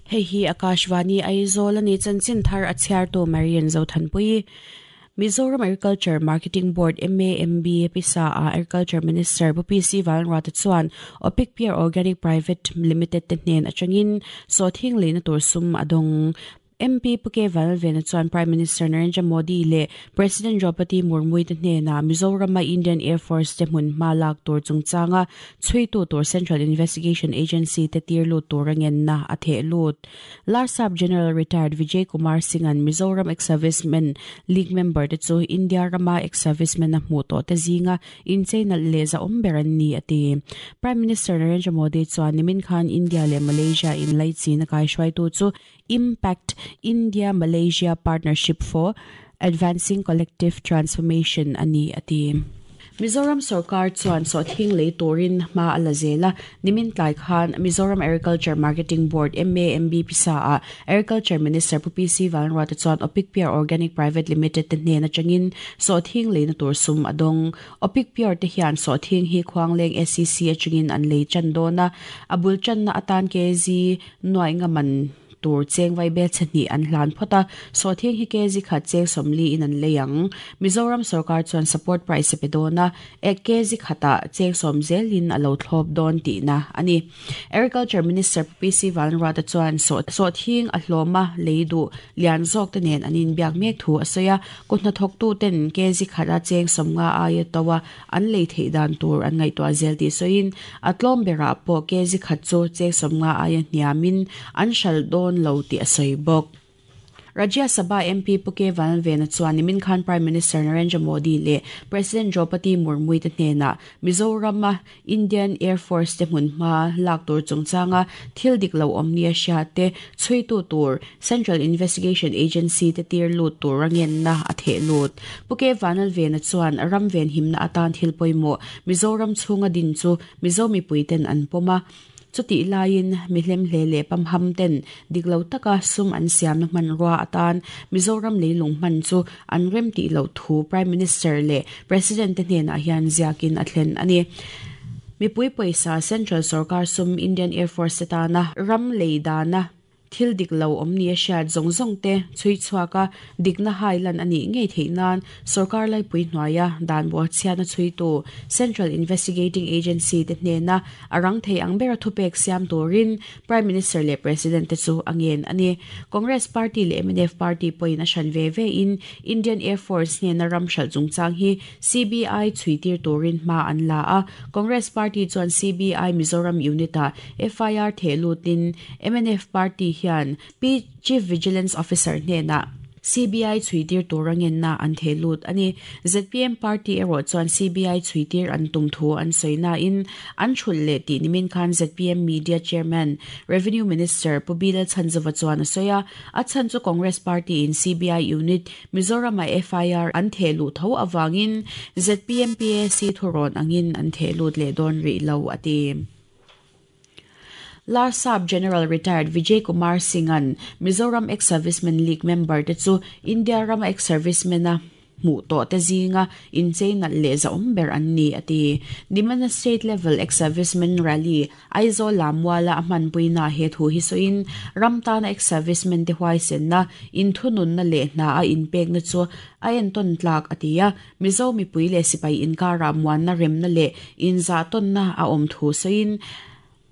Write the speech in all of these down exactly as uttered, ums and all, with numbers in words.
Hei hi Akashvani Aizawl ani chanchin thar a chhiar tu Marian Zothanpui. Mizoram Agriculture Marketing Board M A M B pisa a Agriculture Minister P C Vanruata chuan Opic Pure Organic Private Limited te hnen atangin sawthing leina tur sum adong. M P Puke Vanvena chuan Prime Minister Narendra Modi le President Draupadi Murmu te hnena Mizoram Indian Air Force te hmun hma lak tur chungchanga chhuitu tur Central Investigation Agency te tir lut tur angen na a the lut. Larsap General Retired Vijay Kumar Singh an Mizoram Ex-Servicemen League member te chu India rama ex-servicemen na hmu to te zinga incheina le za awm ber an ni ati. Prime Minister Narendra Modi chuan nimin khan India le Malaysia in laichi na kai hruaitu chu Impact India Malaysia Partnership for Advancing Collective Transformation ani ati. Mizoram Sarkar chuan sawthing lei turin hma ala zela nimin tlai khan Mizoram Agriculture Marketing Board M A M B pisa a Agriculture Minister P C Vanruata chuan Opic Pure Organic Private Limited te hnen atangin sawthing leina tur sum adong. Opic Pure te hian sawthing hi Khuangleng S C C atangin an lei chan dona abul chan na atan K G nuai nga man tur cheng vai bel chhani an hlan phota sawthing hi kg khat cheng somli in an leiang. Mizoram Sarkar chuan support price pe dona ek kg khata cheng som zelin alo thlop don ti na ani. Agriculture Minister P C Vanruata chuan sawthing a hloma leidu lian zawk te nen anin biak mek thu asoya kunna thok tu ten kg khata cheng somnga aia tawa an lei thei dan tur an ngai to zel ti soin atlom bera po kg khat chu cheng somnga aia hniamin an shal don lo ti asoi bok. Rajya Sabha M P Puke Vanvena chuan nimin khan Prime Minister Narendra Modi le President Draupadi Murmu te hnena Mizoram Indian Air Force te hmun hma lak tur chungchanga thil dik lo awm nia hria te chhuitu tur Central Investigation Agency te tir lut tur angen na a the lut. Puke Vanvena chuan ram ven himna atan thil pawimawh Mizoram chhunga din chu Mizo mipuiten an pawma chuti lain mihlem hle le pamham ten diklo taka sum an siam na man ruwa atan Mizoram leilung man chu an rem ti lo thu Prime Minister le President te hnena hian ziakin a thlen ani. Mipui paisa Central Sarkar sum Indian Air Force tana ram leidana thil dik lo awm ni a hriat zawng zawng te chhui chhuaka dikna hailan ani ngei theih nan sarkar laipui hnuaia dan bo chhiatna chhuitu Central Investigating Agency te hnena arang thei ang bera thupek siam turin Prime Minister le President te chu angen ani. Congress Party le M N F Party poin a hran ve ve in Indian Air Force hnena ram hral chungchang hi C B I chhuitir turin hma an la a. Congress Party chuan C B I Mizoram unit a F I R the lutin M N F Party hian P Chief Vigilance Officer hnena C B I chhuitir turangen na an the lut ani. Z P M Party ero chuan C B I chhuitir an tum thu an soina in an thul le ti nimin khan Z P M Media Chairman Revenue Minister Pubila Chanzova chuan asoya a chan chu Congress Party in C B I unit Mizoram F I R an the lut tho awangin Z P M P A C thuron angin an the lut le don ri lo ati. Larsap General Retired Vijay Kumar Singh an Mizoram Ex-Servicemen League member te chu India ram ex-servicemen a hmu to te zinga incheina le za awm ber an ni ati. Nimana State Level Ex-Servicemen Rally Aizawl Lamwala a hmanpuina he thu hi soin ram tana ex-servicemen te huaisen na inthunun na le hna a inpek na chu a enton tlak atia. Mizo mipui le sipai inkara muan na rem na le inza ton na a awm thu soin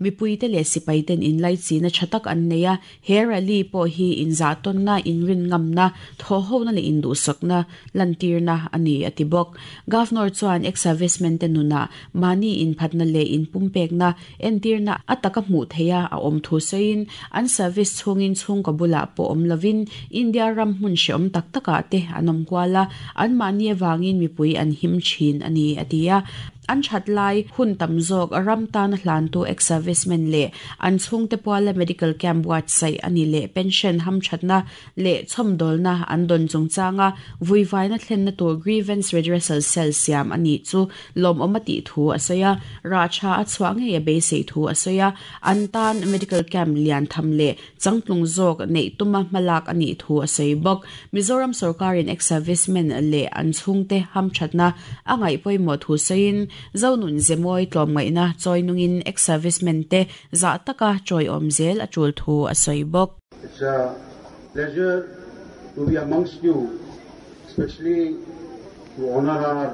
mipui te le sipai ten in lai chi na thatak an neia he rally po hi in za ton na in rin ngam na tho ho na le in du sak na lantir na ani atibok. Governor chuan ex servicemen te nuna mani in phatna le in pumpek na entir na ataka hmu theia a awm thu sein an service chungin chung ka bula po awm lovin India ram hmun hreawm tak taka te anom kwala an mani awangin mipui an him thin ani atia. An that lai hun tam zawk ram tan hlan tu ex-servicemen le an chhungte puala medical camp buat sai ani le pension ham thatna le chhomdolna an don chungchanga vuivaina thlenna tur grievance redressal cell siam ani chu lom omati thu asaya ra cha a chhuange ya be sei thu asaya an tan medical camp lian tham le changtlung zawk nei tuma malak ani thu asai bok Mizoram sarkarin ex-servicemen le an chhungte ham thatna angai poimo thu sein zonun zemoi tlom ngaina choinungin ex-servicemen te za taka choi omzel achul thu asai bok. It's a pleasure to be amongst you, especially to honor our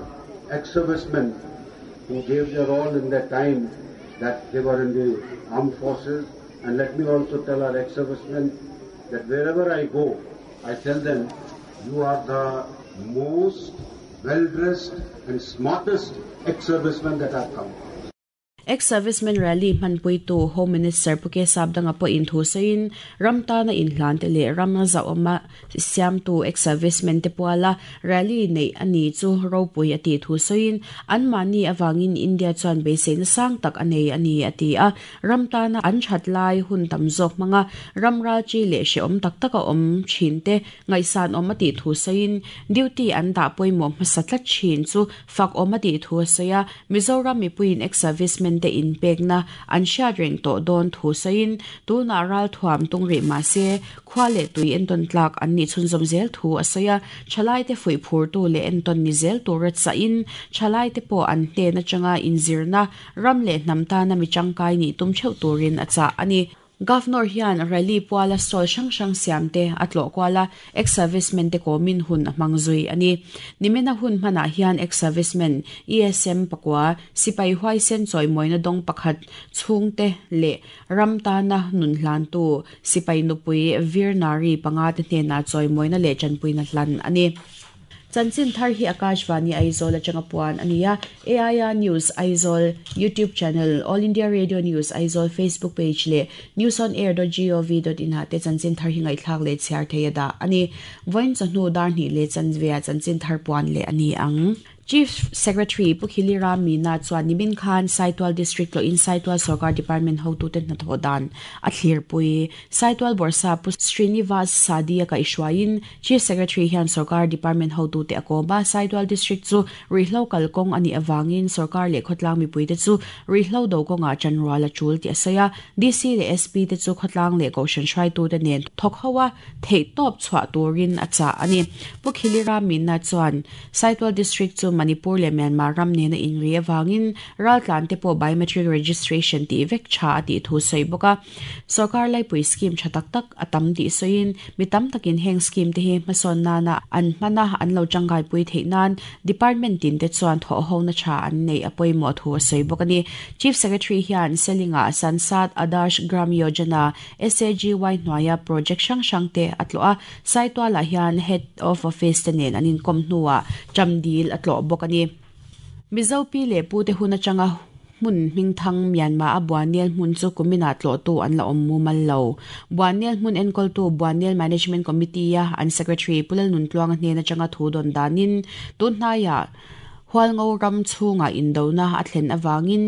ex-servicemen who gave their all in their time that they were in the armed forces. And let me also tell our ex-servicemen that wherever I go, I tell them, you are the most well-dressed and smartest ex-servicemen that have come. Ex-servicemen rally manpui tu Home Minister Puke Sabdanga po in thu sein ramta na in hlan te le ramna za oma siam tu ex-servicemen te puala rally nei ani chu ropui ati thu sein an mani awangin India chuan be sein sang tak anei ani ati a ramta na an thatlai hun tam zawk manga ramra chi le she om tak taka om thin te ngaisan om ati thu sein duty an da poimo masatla chin chu fak om ati thu seia Mizoram mi puin ex-servicemen te in pekna an sha reng to don thu sein tu na ral thuam tung ri ma se khwale tui en ton tlak an ni chun zom zel thu asaya chalai te fui phur tu le en ton ni zel tu rat sa in chalai te po an te na changa in zirna ram le nam ta na mi changkai ni tum cheu turin acha ani. Governor hian rally puala stall sang sang siam te atlo kwala ex-servicemen te komin hun mangzui ani nimena hun mana hian ex-servicemen E S M pakwa sipai huai sen choi moina dong pakhat chhungte le ramta na nun hlan tu sipai nupui virnari panga te hne na choi moina le chanpui na hlan ani. Chanchin thar hi Akashvani Aizawl atanga puan ania A I R News Aizawl YouTube channel, All India Radio News Aizawl Facebook page le news on air dot gov dot in ha te chanchin thar hi ngai thlak le chhiar theia da ani voin chahnu dar ni le chanvia chanchin thar puan le ani ang. Chief Secretary Pukhili Ram Meena chuan nimin khan Saitual District lo in Saitual Sarkar Department hotu ten na thodan a thlir pui Saitual Borsa Pu Srinivas Sadia ka ishwain Chief Secretary hian Sarkar Department hotu te akoba Saitual District chu rihlo kalkong ani awangin Sarkar le khotlang mi pui te chu rihlo do konga chanwala chul ti asaya D C le S P te chu khotlang le koshan shrai tu te nen thokhawa thei top chwa turin acha ani Pukhili Ram Meena chuan Saitual District chu Manipur le Myanmar ram ne na in ri awangin raltlan te po biometric registration ti vek cha ati thu sei boka sarkar lai pui scheme thatak tak atam ti soin mitam takin heng scheme te hi mason na na an mana an lo changai pui theinan department tin te chuan tho ho na cha an nei apoi mo thu sei boka ni Chief Secretary hian selinga Sansad Adarsh Gram Yojana S A G Y hnuaia project sang sang te atloa saitwala hian head of office te nen anin kom hnuwa chamdil atlo bokani Mizo pi le pu te huna changa mun ming thang Myanmar a Buanial mun chu kumina tlo tu an la om mu mal lo Buanial mun enkol tu Buanial Management Committee ya an secretary Pulal nun tluang hne na changa thu don danin tun hnaya hualngo ram chunga indona a thlen awangin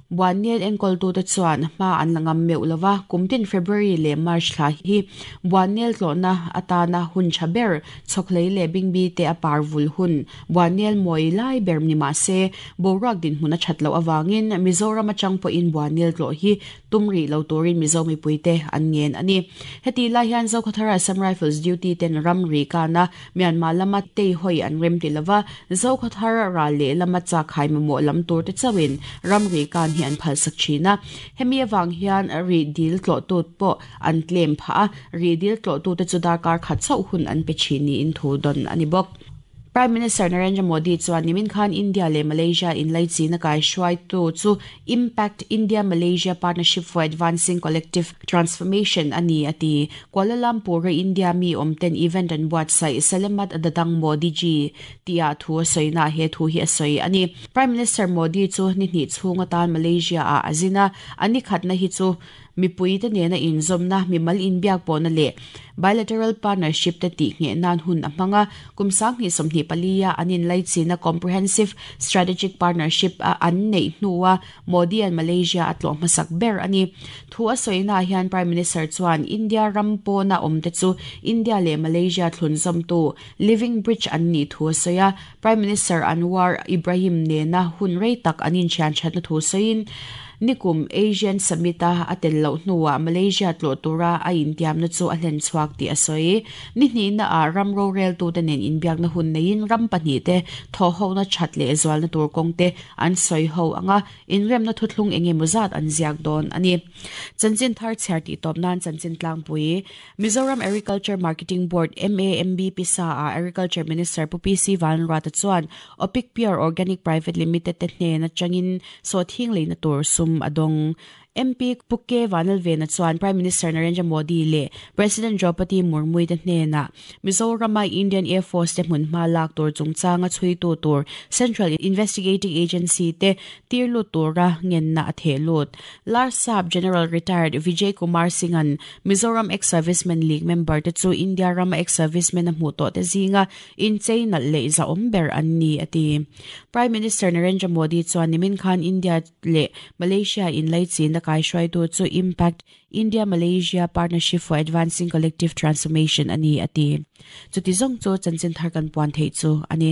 Buanial enkol tu te chuan ma an langam meu lova kumtin February le March thla hi Buanial tlona atana hun chaber chokhlei le bingbi te apar vul hun Buanial moi lai ber ni ma se borak din huna thatlo awangin Mizoram achang po in Buanial tlo hi tumri lo turin Mizo mi puite an ngen ani heti la hian Zokhathara Assam Rifles duty ten ramri kana Myanmar lama te hoi an rem ti lova Zokhathara ra le lama cha khai mo lam tur te chawin ramri kan hi an phal sak china hemi awang hian ri dil tlo tu po an claim pha ri dil tlo tu te chu dar kar khat chau hun an pe chini in thu don ani bok. Prime Minister Narendra Modi chuan nimin khan India le Malaysia in lai china kai hruai tu chu Impact India Malaysia Partnership for Advancing Collective Transformation ani ati Kuala Lumpur India mi omten event an buat sai Selamat Datang Modi ji tia thu soina he thu hi soi ani Prime Minister Modi chu ni ni chhunga tan Malaysia a azina ani khatna hi chu Mipui te nena inzawmna mimal inbiak pawhna leh bilateral partnership te tih ngheh nan hun a hmanga kum sanghnih sawmhnih palia an inlaichina comprehensive strategic partnership a an neih hnuah Modi an Malaysia a tlawh hmasak ber ani thu a sawina hian Prime Minister chuan India ram pawna awm te chu India leh Malaysia thlunzawm tu Living Bridge an ni thu a sawi a Prime Minister Anwar Ibrahim nena hun rei tak an inthian thatna thu sawiin nikum Asian Summit a atel lo hnuah Malaysia tlawh tura a intiamna chu a hlen chhuak tih a sawi ni hnihna a ram rorel tu te nen inbiakna hun neiin ram pahnih te thaw ho na that leh zualna tur kawng te an sawi ho anga inremna thuthlung engemaw zat an ziak dawn ani chanchin thar chhiar tih tawp nan chanchin tlangpui Mizoram Agriculture Marketing Board MAMB pisa a Agriculture Minister Pu PC Vanrata chuan Opic Pure Organic Private Limited te hnena changin so thing leina tur sum adong MP Puke Vanalvena chuan Prime Minister Narendra Modi le President Draupadi Murmu te hnena Mizoram Indian Air Force te hmun hma lak tur chungchanga chui tu tur Central Investigating Agency te tirlu tura ngenna a thelut Larsap General Retired Vijay Kumar Singhan Mizoram Ex-Servicemen League member te chu India rama ex-servicemen a hmu to te zinga in cheina le za omber an ni ati Prime Minister Narendra Modi chuan nimin khan India le Malaysia in laichina kai shuai tu chu Impact India Malaysia Partnership for Advancing Collective Transformation ani ati chuti zong chu chanchin thar kan puan thei chu ani